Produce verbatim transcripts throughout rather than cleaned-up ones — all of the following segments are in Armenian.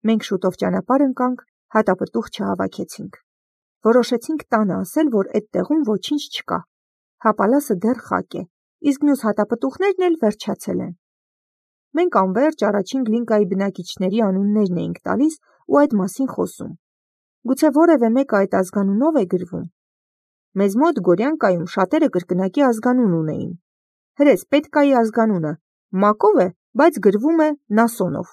Մենք շուտով ճանապարհ ընկանք, հատապտուղ չհավաքեցինք։ Որոշեցինք տանը ասել, որ այդ տեղում ոչինչ չկա։ Հապալասը դեռ խակ է, իսկ մյուս հատապտուղներն էլ վերջացել են։ Մենք անվերջ առաջին Գլինկայի բնակիչների անուններն էինք տալիս ու այդ մասին խոսում։ Գուցե որևէ մեկը այդ ազգանունով է գրվում։ Մեզ մոտ Գորյանկայում շատերը կրկնակի ազգանուն ունեին։ Հրես Պետկայի ազգանունը Մակով է, բայց գրվում է Նասոնով։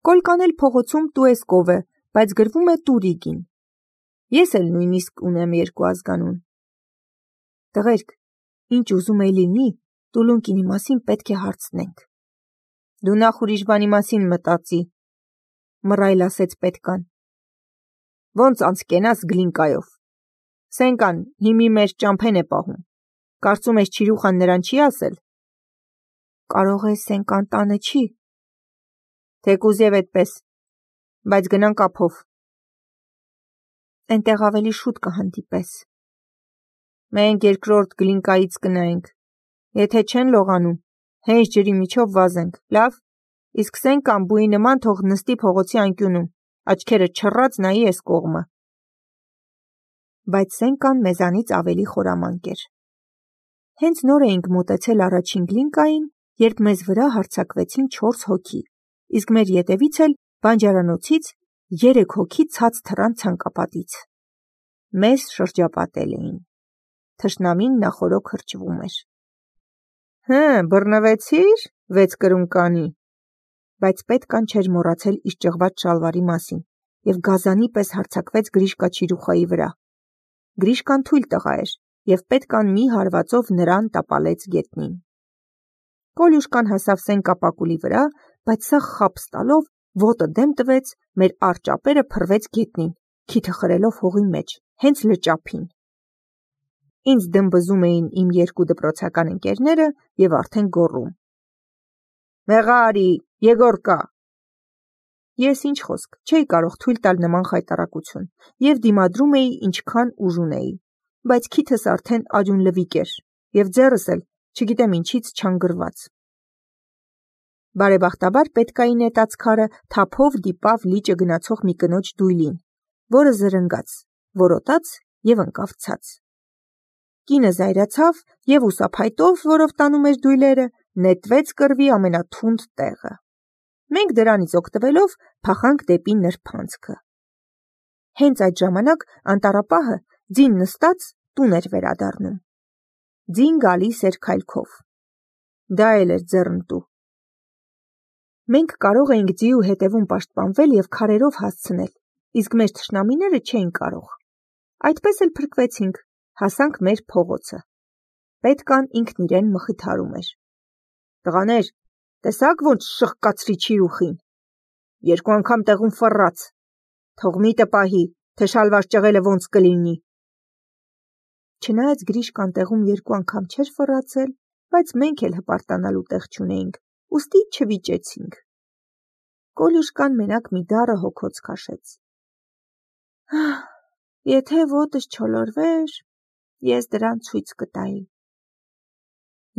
Կոլկան էլ փողոցում Տուեսկով է, բայց գրվում է Տուրիգին։ Ես էլ նույնիսկ ունեմ երկու ազգանուն։ Տղերք, ինչ ուզում է լինի, Տուլունկինի մասին պետք է հարցնենք։ Դու նախ ուրիշ բանի մասին մտածի, մռայլ ասեց Պետկան։ Ոնց անցկենաս Գլինկայով։ Սենկան հիմի մեր ճամփեն է պահում։ Կարծում ես Չիրուխան նրան չի ասել։ Կարող է Սենկան տանը չի։ Թեկուզ եւ այդպես, բայց գնանք ափով։ Այնտեղ ավելի շուտ կհանդիպես։ Մենք երկրորդ Գլինկայից կնայենք։ Եթե չեն լողանում, հենց ջրի միջով վազենք, լավ, իսկ Սենկան բույի նման թող նստի փողոցի անկյունում, աչքերը չռած նայի էս կողմը։ Բայց Սենկան մեզանից ավելի խորամանկ էր։ Հենց նոր էինք մոտեցել առաջին Գլինկային, երբ մեզ վրա հարձակվեցին չորս հոգի, իսկ մեր ետևից էլ բանջարանոցից երեք հոգի ցած թռան ցանկապատից։ Մեզ շրջապատել էին։ Թշնամին նախօրոք հրճվում էր։ Հը, բռնվեցի՞ր, վեց կրունկանի։ Բայց Պետկան չէր մոռացել իր ճղված շալվարի մասին և գազանի պես հարձակվեց Գրիշկա Չիրուխայի վրա։ Գրիշկան թույլ տղա էր, և Պետկան մի հարվածով նրան տապալեց գետնին։ Կոլյուշկան հասավ Սենկա պակուլի վրա, բայց սա խաբս տալով ոտը դեմ տվեց, մեր առճապերը փռվեց գետնին, քիթը խրելով հողի մեջ, հենց լճափին։ Ինձ դմբզում էին իմ երկու դպրոցական ընկերները և արդեն գոռում. Մեղա արի, Եգորկա։ Ես ինչ խոսք, չէի կարող թույլ տալ նման խայտառակություն և դիմադրում էի ինչքան ուժ ունեի, բայց քիթս արդեն արյուն լվիկ էր և ձեռս էլ չգիտեմ ինչից չանգրված։ Բարեբախտաբար Պետկայի նետած քարը թափով դիպավ լիճը գնացող մի կնոջ դույլին, որը զրնգաց, որոտաց և ընկավ ցած։ Կինը զայրացավ և ուսափայտով, որով տանում էր դույլերը, նետվեց կռվի ամենաթունդ տեղը։ Մենք դրանից օգտվելով փախանք դեպի նրբանցքը։ Հենց այդ ժամանակ անտառապահը ձին նստած տուն էր վերադառնում։ Ձին գալիս էր քայլքով։ Դա էլ էր ձեռնտու։ Մենք կարող էինք ձիու հետևում պաշտպանվել և քարերով հասցնել, իսկ մեր թշնամիները չէին կարող։ Այդպես էլ փրկվեցինք, հասանք մեր փողոցը։ Պետկան ինքն իրեն մխիթարում էր։ Տղաներ, տեսաք ոնց շղկացրի Չիրուխին։ Երկու անգամ տեղում ֆռռաց։ Թող միտը պահի, թե շալվար ճղելը ոնց կլինի։ Չնայած Գրիշկան տեղում երկու անգամ չէր ֆռռացել, բայց մենք էլ հպարտանալու տեղ չունեինք, ուստի չվիճեցինք։ Կոլյուշկան մենակ մի դառը հոգոց քաշեց։ Եթե ոտս չոլորվեր, ես դրան ցույց կտայի։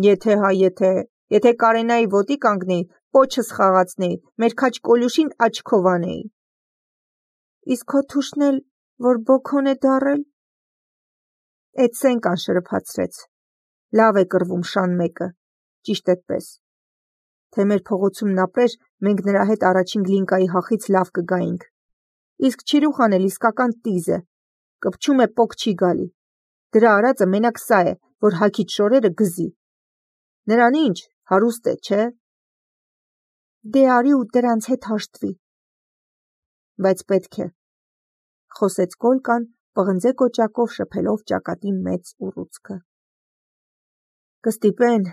Եթե հա եթե, եթե Կարենայի ոտի կանգնեի, պոչս խաղացնեի, մեր քաջ Կոլյուշին աչքով անեի։ Իսկ քո թուշն էլ, որ բոքոն է դառել։ Էդ Սենկան շրփացրեց։ Լավ է կռվում շան մեկը, ճիշտ էդպես։ Թե մեր փողոցումն ապրեր, մենք նրա հետ առաջին Գլինկայի հախից լավ կգայինք։ Իսկ Չիրուխան էլ իսկական տիզ է, կպչում է պոկ չի գալի։ Դրա արածը մենակ սա է, որ հագից շորերը գզի։ Նրան ինչ, հարուստ է, չէ։ Դե արի ու դրանց հետ հաշտվի։ Բայց պետք է, խոսեց Կոլկան, պղնձե կոճակով շփելով ճակատի մեծ ուռուցքը։ Կստիպեն,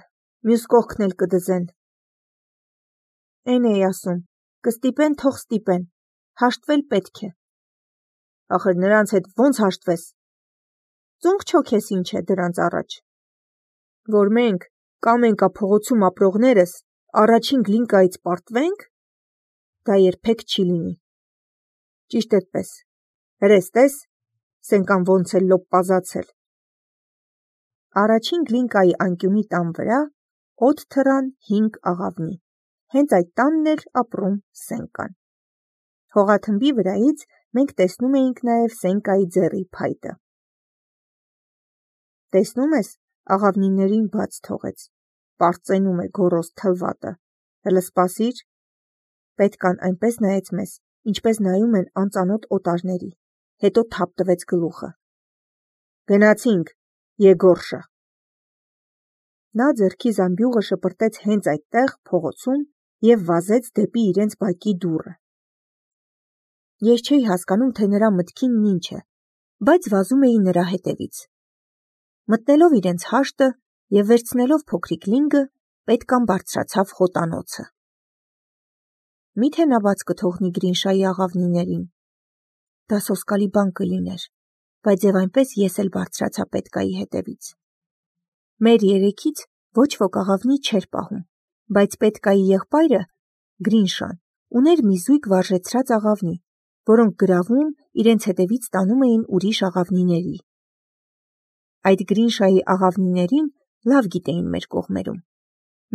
մյուս կողքն էլ կդզեն։ Էն էի ասում, կստիպեն, թող ստիպեն, հաշտվել պետք է։ Ախր նրանց հետ ոնց հաշտվես։ Ծունկ չոքես ինչ է դրանց առաջ։ Որ մենք Կամենկա փողոցում ապրողներս առաջին Գլինկայից պարտվենք, դա երբեք չի լինի։ Ճիշտ էդպես, հրես տես, Սենկան ոնց է լոպպազացել։ Առաջին Գլինկայի անկյունի տան վրա օդ թռան հինգ աղավնի, հենց այդ տանն էր ապրում Սենկան։ Հողաթմբի վրայից մենք տեսնում էինք նաև Սենկայի ձեռի փայտը։ Տեսնում ես, աղավնիներին բաց թողեց, պարծենում է գոռոզ թլվատը, հլը սպասիր։ Պետքան այնպես նայեց մեզ, ինչպես նայում են անծանոթ օտարների, հետո թափ տվեց գլուխը։ Գնացինք, Եգորշա։ Նա ձեռքի զամբյուղը շպրտեց հենց այդտեղ փողոցում և վազեց դեպի իրենց բակի դուռը։ Ես չէի հասկանում, թե նրա մտքինն ինչ է, բայց վազում էի նրա հետևից։ Մտնելով իրենց հաշտը և վերցնելով փոքրիկ լինգը, պետքան բարձրացավ խոտանոցը։ Միթե նա բաց կթողնի Գրինշայի աղավնիներին։ Դա սոսկալի բան կլիներ, բայց և այնպես ես էլ բարձրացա պետկայի հետևից։ Մեր երեքից ոչ ոք աղավնի չէր պահում, բայց պետկայի եղբայրը, Գրինշան, ուներ մի զույգ վարժեցրած աղավնի, որոնք գրավում իրենց հետևից տանում էին ուրիշ աղավնիների։ Այդ Գրինշայի աղավնիներին լավ գիտեին մեր կողմերում։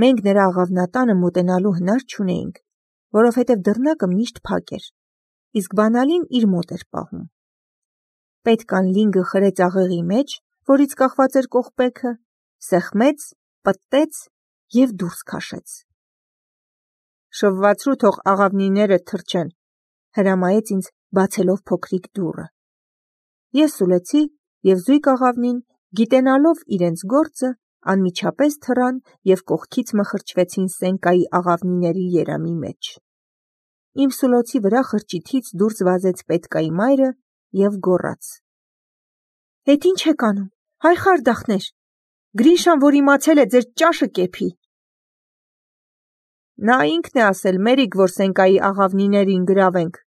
Մենք նրա աղավնատանը մոտենալու հնար չունեինք, որովհետև դռնակը միշտ փակ էր, իսկ բանալին իր մոտ էր պահում։ Պետքան լինգը խրեց աղեղի մեջ, որից կախված էր կողպեքը, սեղմեց, պտտեց և դուրս քաշեց։ Շվվացրու, թող աղավնիները թռչեն, հրամայեց ինձ բացելով փոքրիկ դուռը։ Ես սուլեցի և զույգ աղավնին, գիտենալով իրենց գործը, անմիջապես թռան և կողքից մխրճվեցին Սենկայի աղավնիների երամի մեջ։ Իմ սուլոցի վրա խրճիթից դուրս վազեց պետկայի մայրը և գոռաց. Էդ ինչ եք անում, հայ խարդախներ, Գրինշան, որ իմացել է, ձեր ճաշը կեփի։ Նա ինքն է ասել, մերիք, որ Սենկայի աղավնիներին գրավենք։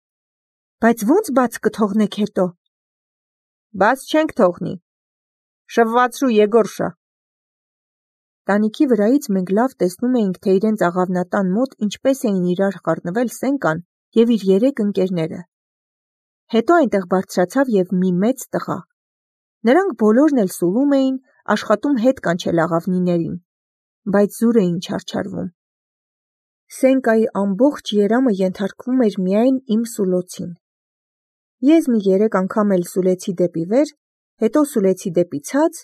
Բայց ո՞նց բաց կթողնեք հետո։ Բաց չենք թողնի։ Շվվացրու, Եգորշա։ Տանիքի վրայից մենք լավ տեսնում էինք, թե իրենց աղավնատան մոտ ինչպես էին իրար խառնվել Սենկան և իր երեք ընկերները։ Հետո այնտեղ բարձրացավ և մի մեծ տղա։ Նրանք բոլորն էլ սուլում էին, աշխատում հետ կանչել աղավնիներին, բայց զուր էին չարչարվում։ Սենկայի ամբողջ երամը ենթարկվում էր միայն իմ սուլոցին։ Ես մի երեք անգամ էլ սուլեցի դեպի վեր, հետո սուլեցի դեպի ցած,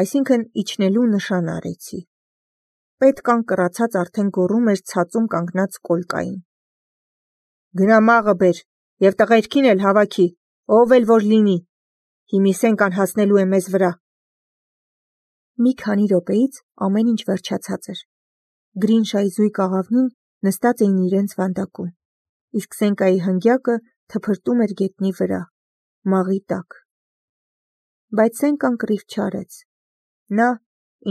այսինքն իջնելու նշան արեցի։ Պետքան կռացած արդեն գոռում էր ցածում կանգնած կոլկային. Գնա մաղը բեր և տղերքին էլ հավաքի, ով էլ որ լինի, հիմի Սենկան հասնելու է մեզ վրա։ Մի քանի րոպեից ամեն ինչ վերջացած էր։ Գրինշայի զույգ աղավնին նստած էին իրենց վանդակում, իսկ Սենկայի հնգյակը թփրտում էր գետնի վրա, մաղի տակ։ Բայց Սենկան կռիվ չարեց։ Նա,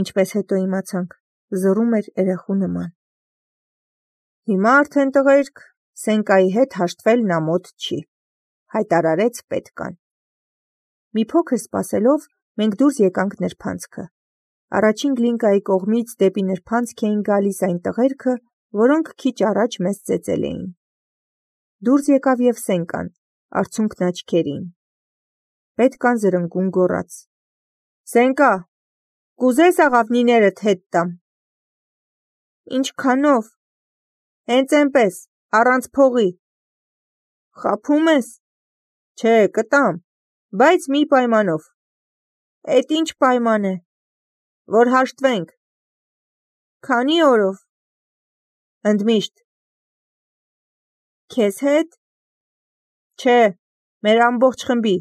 ինչպես հետո իմացանք, զռում էր երեխու նման։ Հիմա արդեն տղերք, Սենկայի հետ հաշտվելն ամոթ չի, հայտարարեց պետկան։ Մի փոքր սպասելով, մենք դուրս եկանք նրբանցքը։ Առաջին Գլինկայի կողմից դեպի նրբանցք էին գալիս այն տղերքը, որոնք քիչ առաջ մեզ ծեծել էին։ Դուրս եկավ և Սենկան, արցունքն աչքերին։ Պետքան զրնգուն գոռաց. Սենկա, կուզես աղավնիներդ հետ տամ։ Ինչքանով։ Հենց էնպես, առանց փողի։ Խաբում ես։ Չէ, կտամ, բայց մի պայմանով։ Էդ ինչ պայման է։ Որ հաշտվենք։ Քանի օրով։ Ընդմիշտ։ Քեզ հետ։ Չէ, մեր ամբողջ խմբի,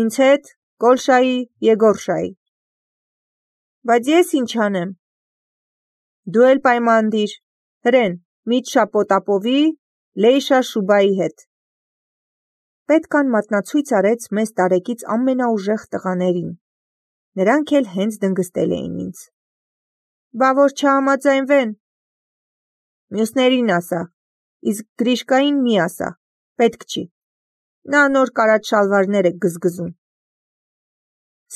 ինձ հետ, Կոլշայի, Եգորշայի։ Բայց ես ինչ անեմ։ Դու էլ պայման դիր, հրեն, Միտշա Պոտապովի, Լեյշա Շուբայի հետ։ Պետքան մատնացույց արեց մեզ տարեկից ամենաուժեղ տղաներին։ Նրանք էլ հենց դնգստել էին ինձ։ Բա որ չհամաձայնվեն։ Մյուսներին ասա, իսկ Գրիշկային մի ասա, պետք չի։ Նա նոր կարած շալվարներ է գզգզում։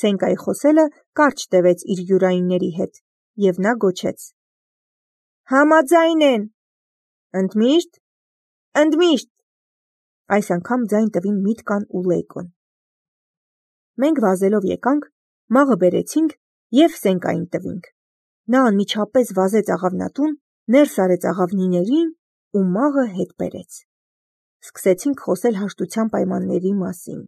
Սենկայի խոսելը կարճ տևեց իր յուրայինների հետ, և նա գոչեց. Համաձայն են։ Ընդմիշտ։ Ընդմիշտ։ Այս անգամ ձայն տվին Միտկան ու Լեյկոն։ Մենք վազելով եկանք, մաղը բերեցինք և Սենկային տվինք։ Նա անմիջապես վազեց աղավնատուն, ներս արեց աղավնիներին ու մաղը հետ բերեց։ սկսեցինք խոսել հաշտության պայմանների մասին։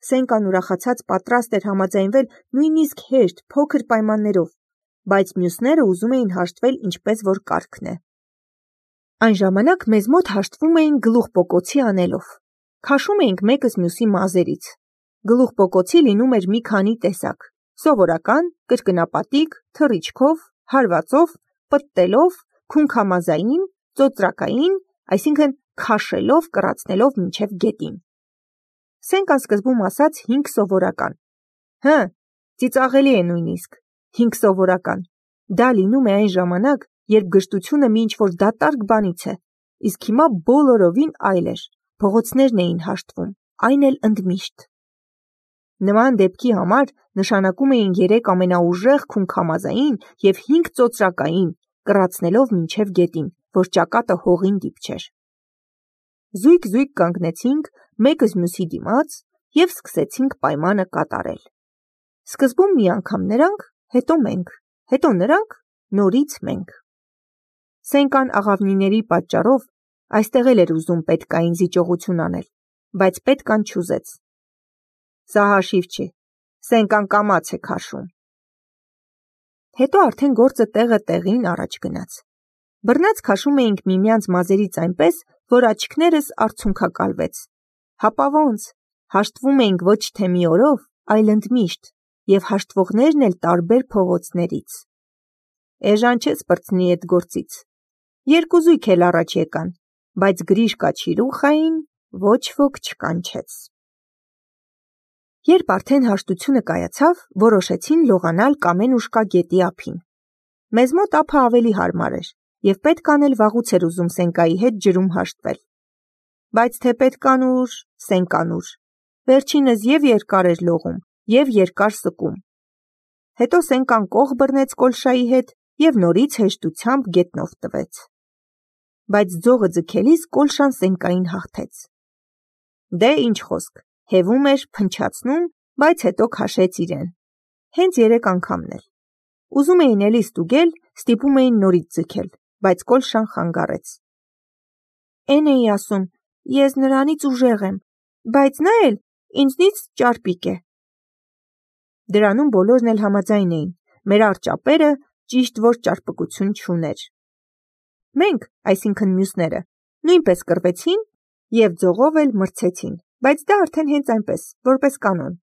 Սենկան ուրախացած պատրաստ էր համաձայնվել նույնիսկ հեշտ, փոքր պայմաններով, բայց մյուսները ուզում էին հաշտվել ինչպես որ կարգն է։ Այն ժամանակ մեզ մոտ հաշտվում էին գլուխպոկոցի անելով։ Քաշում էինք մեկս մյուսի մազերից։ Գլուխպոկոցի լինում էր մի քանի տեսակ՝ սովորական, կրկնապատիկ, թռիչքով, հարվածով, պտտելով, քունքամազային, ծոծրակային, այսինքն քաշելով, կռացնելով մինչև գետին։ Սենկան սկզբում ասաց հինգ սովորական։ Հը, ծիծաղելի է նույնիսկ, հինգ սովորական։ Դա լինում է այն ժամանակ, երբ գժտությունը մի ինչ-որ դատարկ բանից է, իսկ հիմա բոլորովին այլ էր, փողոցներն էին հաշտվում, այն էլ ընդմիշտ։ Նման դեպքի համար նշանակում էին երեք ամենաուժեղ քունքամազային և հինգ ծոծրակային, կռացնելով մինչև գետին, որ ճակատը հողին դիպչեր։ Զույգ-զույգ կանգնեցինք մեկս մյուսի դիմաց և սկսեցինք պայմանը կատարել։ Սկզբում մի անգամ նրանք, հետո մենք, հետո նրանք, նորից մենք։ Սենկան աղավնիների պատճառով այստեղ էլ էր ուզում պետկային զիջողություն անել, բայց պետկան չուզեց։ Սա հաշիվ չի, Սենկան կամաց է քաշում։ Հետո արդեն գործը տեղը տեղին առաջ գնաց։ Բռնած քաշում էինք միմյանց մազերից այնպես, որ աչքներս արցունքակալվեց։ Հապա ոնց, հաշտվում էինք ոչ թե մի օրով, այլ ընդմիշտ, և հաշտվողներն էլ տարբեր փողոցներից։ Էժան չես պրծնի էդ գործից։ Երկու զույգ էլ առաջ եկան, բայց Գրիշկա Չիրուխային ոչ ոք չկանչեց։ Երբ արդեն հաշտությունը կայացավ, որոշեցին լողանալ Կամենուշկա գետի ափին։ Մեզ մոտ ափը ավելի հարմար էր, և պետքան էլ վաղուց էր ուզում Սենկայի հետ ջրում հաշտվել։ Բայց թե պետկանուր, Սենկանուր, վերջինս և երկար էր լողում, և երկար սկում։ Հետո Սենկան կող բռնեց Կոլշայի հետ և նորից հեշտությամբ գետնով տվեց։ Բայց ձողը ձգելիս Կոլշան Սենկային հաղթեց։ Դե ինչ խոսք, հևում էր, փնչացնում, բայց հետո քաշեց իրեն։ Հենց երեք անգամն էլ։ Ուզում էին էլի ստուգել, ստիպում էին նորից ձգել, բայց Կոլշան խանգարեց։ Էն էի ասում, ես նրանից ուժեղ եմ, բայց նա էլ ինձնից ճարպիկ է։ Դրանում բոլորն էլ համաձայն էին, մեր առճապերը ճիշտ որ ճարպկություն չուներ։ Մենք, այսինքն մյուսները, նույնպես կռվեցին և ձողով էլ մրցեցին, բայց դա արդեն հենց այնպես, որպես կանոն,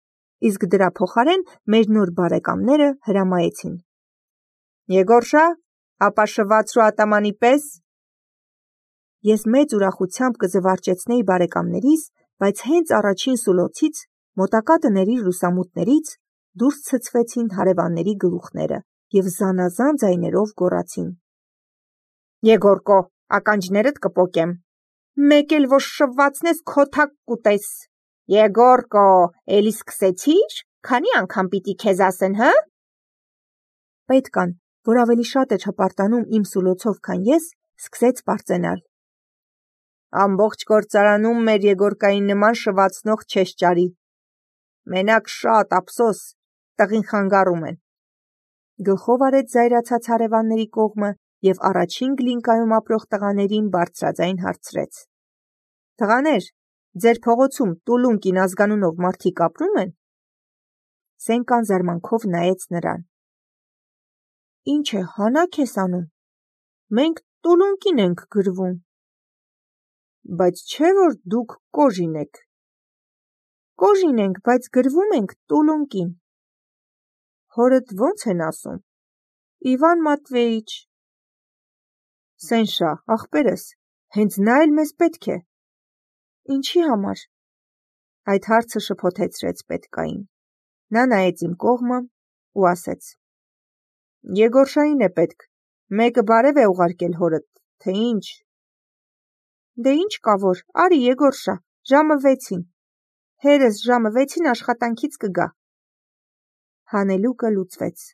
իսկ դրա փոխարեն մեր նոր բարեկամները հրամայեցին. Եգորշա, ապա շվացրու ատամանի պես։ Ես մեծ ուրախությամբ կզվարճեցնեի բարեկամներիս, բայց հենց առաջին սուլոցից, մոտակա տների լուսամուտներից դուրս ցցվեցին հարևանների գլուխները և զանազան ձայներով գոռացին. Եգորկո, ականջներդ կպոկեմ։ Մեկ էլ որ շվվացնես քո թակ կուտես։ Եգորկո, էլի սկսեցի՞ր, քանի անգամ պիտի քեզ ասեն, հը։ Պետկան, որ ավելի շատ էր հպարտանում իմ սուլոցով, քան ես, սկսեց պարծենալ. Ամբողջ գործարանում մեր Եգորկային նման շվացնող չես ճարի։ Մենակ շատ ափսոս, տղին խանգարում են։ Գլխով արեց զայրացած հարևանների կողմը և առաջին գլինկայում ապրող տղաներին բարձրաձայն հարցրեց. Տղաներ, ձեր փողոցում Տուլունկին ազգանունով մարդիկ ապրում են։ Սենկան զարմանքով նայեց նրան։ Ինչ է, հանաք ես անում։ Մենք Տուլունկին ենք գրվում։ Բայց չէ որ դուք Կոժին եք։ Կոժին ենք, բայց գրվում ենք Տուլունկին։ Հորդ ո՞նց են ասում։ Իվան Մատվեիչ։ Սենշա, ախպերս, հենց նա էլ մեզ պետք է։ Ինչի համար։ Այդ հարցը շփոթեցրեց պետկային։ Նա նայեց իմ կողմը ու ասեց. Եգորշային է պետք, մեկը բարև է ուղարկել հորդ, թե ինչ։ Դե ինչ կա որ, արի Եգորշա, ժամը վեցին։ Հերս ժամը վեցին աշխատանքից կգա։ Հանելուկը լուծվեց,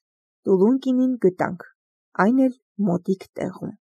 Տուլունկինին գտանք, այն էլ մոտիկ տեղում։